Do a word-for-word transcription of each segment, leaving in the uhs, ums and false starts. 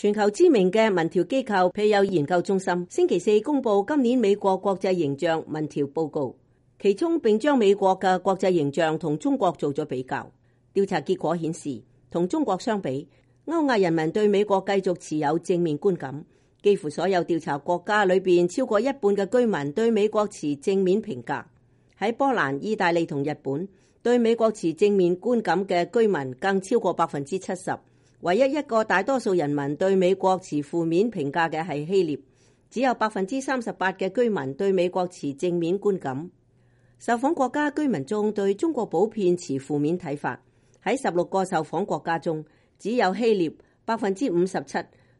全球知名嘅民調機構皮尤研究中心星期四公布今年美國國際形象民調報告，其中並將美國嘅國際形象同中國做咗比較。調查結果顯示，同中國相比，歐亞人民對美國繼續持有正面觀感，幾乎所有調查國家裏邊超過一半嘅居民對美國持正面評價。喺波蘭、意大利同日本，對美國持正面觀感嘅居民更超過百分之七十。唯一一個大多數人民對美國持負面評價嘅係希臘，只有百分之三十八嘅居民對美國持正面觀感。受訪國家居民中對中國普遍持負面睇法，喺十六個受訪國家中，只有希臘百分之五十七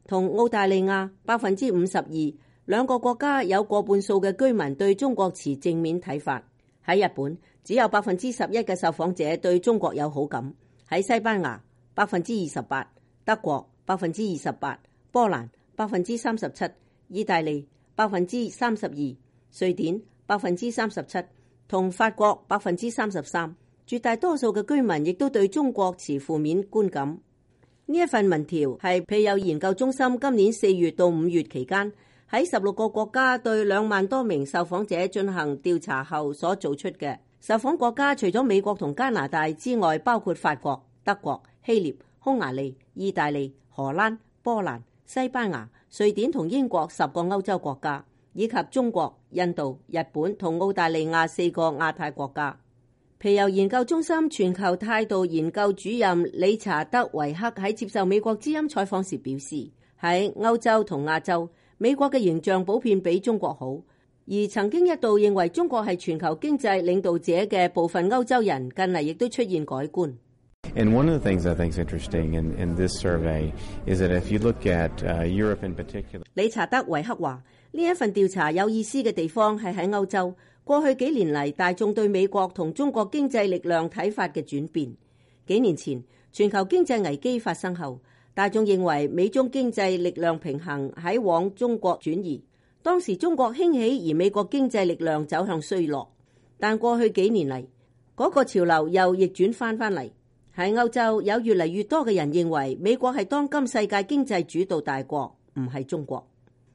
同澳大利亞百分之五十二兩個國家有過半數嘅居民對中國持正面睇法。喺日本，只有百分之十一嘅受訪者對中國有好感。喺西班牙，百分之二十八，德國百分之二十八，波蘭百分之三十七，意大利百分之三十二，瑞典百分之三十七，同法國百分之三十三。絕大多數嘅居民亦都對中國持負面觀感。呢一份民調係皮尤研究中心今年四月到五月期間喺十六個國家對兩萬多名受訪者進行調查後所做出嘅。受訪國家除咗美國同加拿大之外，包括法國、德國、希臘、匈牙利、意大利、荷蘭、波蘭、西班牙、瑞典同英國十個歐洲國家，以及中國、印度、日本同澳大利亞四個亞太國家。皮尤研究中心全球態度研究主任理查德維克喺接受美國之音採訪時表示，喺歐洲同亞洲，美國嘅形象普遍比中國好，而曾經一度認為中國係全球經濟領導者嘅部分歐洲人，近嚟亦都出現改觀。And one of the things I think is interesting in, in this survey is that if you look at uh, Europe in particular， 理查德維克話，呢一份調查有意思嘅地方係喺歐洲，過去幾年嚟大眾對美國同中國經濟力量睇法嘅轉變。幾年前全球經濟危機發生後，大眾認為美中經濟力量平衡喺往中國轉移，當時中國興起而美國經濟力量走向衰落。但過去幾年嚟，嗰個潮流又逆轉翻返嚟。喺歐洲有越嚟越多嘅人認為美國係當今世界經濟主導大國，唔係中國。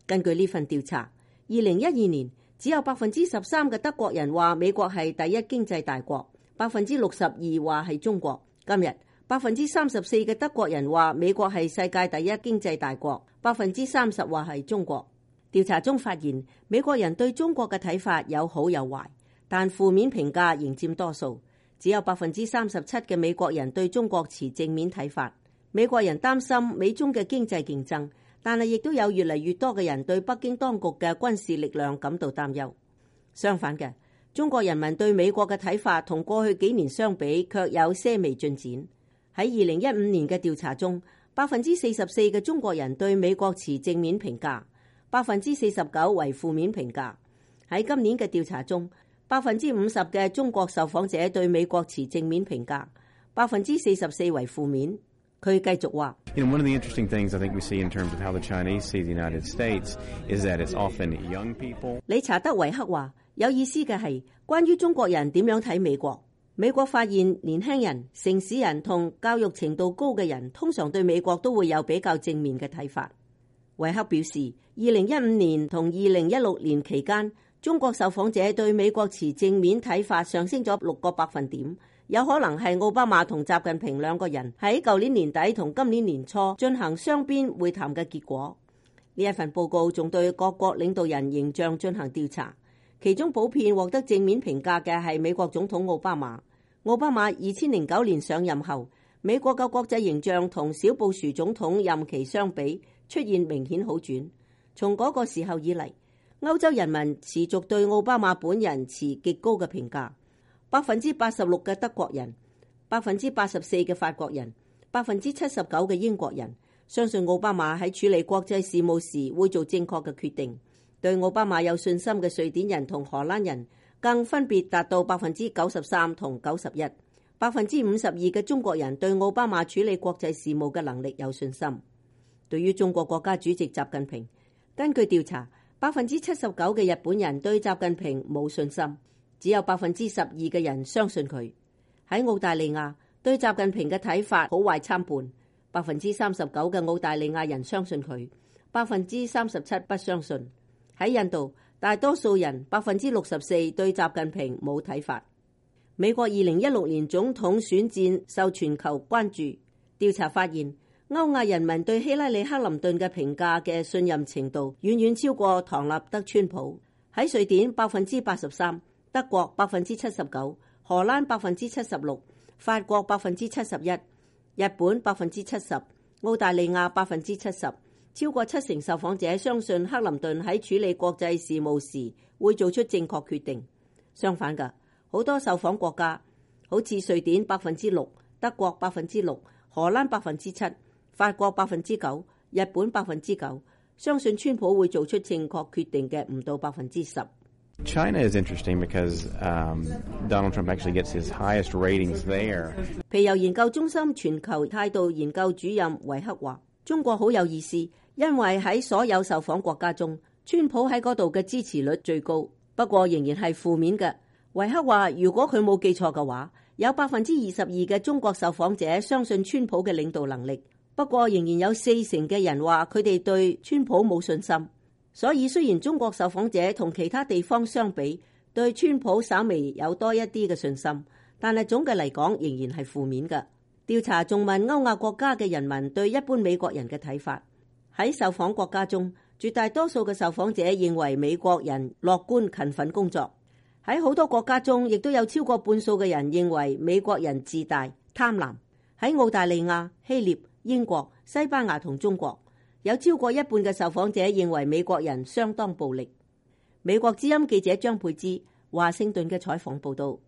根據呢份調查，二零一二年只有百分之十三嘅德國人話美國係第一經濟大國，百分之六十二話係中國。今日百分之三十四嘅德國人話美國係世界第一經濟大國，百分之三十話係中國。調查中發現，美國人對中國嘅睇法有好有壞，但負面評價仍佔多數。只有百分之三十七嘅美國人對中國持正面睇法。美國人擔心美中嘅經濟競爭，但係亦都有越嚟越多嘅人對北京當局嘅軍事力量感到擔憂。相反嘅，中國人民對美國嘅睇法同過去幾年相比，卻有些微進展。喺二零一五年嘅調查中，百分之四十四嘅中國人對美國持正面評價，百分之四十九為負面評價。喺今年嘅調查中，百分之五十嘅中國受訪者對美國持正面評價，百分之四十四為負面。佢繼續話，You know, one of the interesting things I think we see in terms of how the Chinese see the United States is that it's often young people。理查德維克話，有意思嘅係關於中國人點樣睇美國。美國發現年輕人、城市人同教育程度高嘅人，通常對美國都會有比較正面嘅睇法。維克表示，二零一五年同二零一六年期間，中國受訪者對美國持正面睇法上升咗六個百分點，有可能係奧巴馬同習近平兩個人喺舊年年底同今年年初進行雙邊會談嘅結果。呢一份報告仲對各國領導人形象進行調查，其中普遍獲得正面評價嘅係美國總統奧巴馬。奧巴馬二千零九年上任後，美國嘅國際形象同小布殊總統任期相比出現明顯好轉。從嗰個時候以嚟，歐洲人民持續對奧巴馬本人持極高嘅評價，百分之八十六嘅德國人，百分之八十四嘅法國人，百分之七十九嘅英國人相信奧巴馬喺處理國際事務時會做正確嘅決定。對奧巴馬有信心嘅瑞典人同荷蘭人更分別達到百分之九十三同九十一。百分之五十二嘅中國人對奧巴馬處理國際事務嘅能力有信心。對於中國國家主席習近平，根據調查，百分之七十九嘅日本人對習近平冇信心，只有百分之十二嘅人相信佢。喺澳大利亞，對習近平嘅睇法好壞參半，百分之三十九嘅澳大利亞人相信佢，百分之三十七不相信。喺印度，大多數人百分之六十四對習近平冇睇法。美國二零一六年總統選戰受全球關注，調查發現歐亞人民對希拉里克林頓嘅評價嘅信任程度遠遠超過唐納德川普。喺瑞典百分之八十三，德國百分之七十九，荷蘭百分之七十六，法國百分之七十一，日本百分之七十，澳大利亞百分之七十。超過七成受訪者相信克林頓喺處理國際事務時會做出正確決定。相反嘅，好多受訪國家，好似瑞典百分之六，德國百分之六，荷蘭百分之七，法國百分之九，日本百分之九，相信川普會做出正確決定嘅唔到百分之十。China is interesting because um, Donald Trump actually gets his highest ratings there. 皮尤研究中心全球態度研究主任維克話：中國好有意思，因為喺所有受訪國家中，川普喺嗰度嘅支持率最高，不過仍然係負面嘅。維克話：如果佢冇記錯嘅話，有百分之二十二嘅中國受訪者相信川普嘅領導能力，不過仍然有四成嘅人話佢哋對川普冇信心。所以雖然中國受訪者同其他地方相比對川普稍微有多一啲嘅信心，但係總嘅嚟講仍然係負面嘅。調查仲問歐亞國家嘅人民對一般美國人嘅睇法。喺受訪國家中，絕大多數嘅受訪者認為美國人樂觀勤奮工作。喺好多國家中，亦都有超過半數嘅人認為美國人自大貪婪。喺澳大利亞、希臘、英國、西班牙同中國，有超過一半嘅受訪者認為美國人相當暴力。美國之音記者張佩芝，華盛頓嘅採訪報道。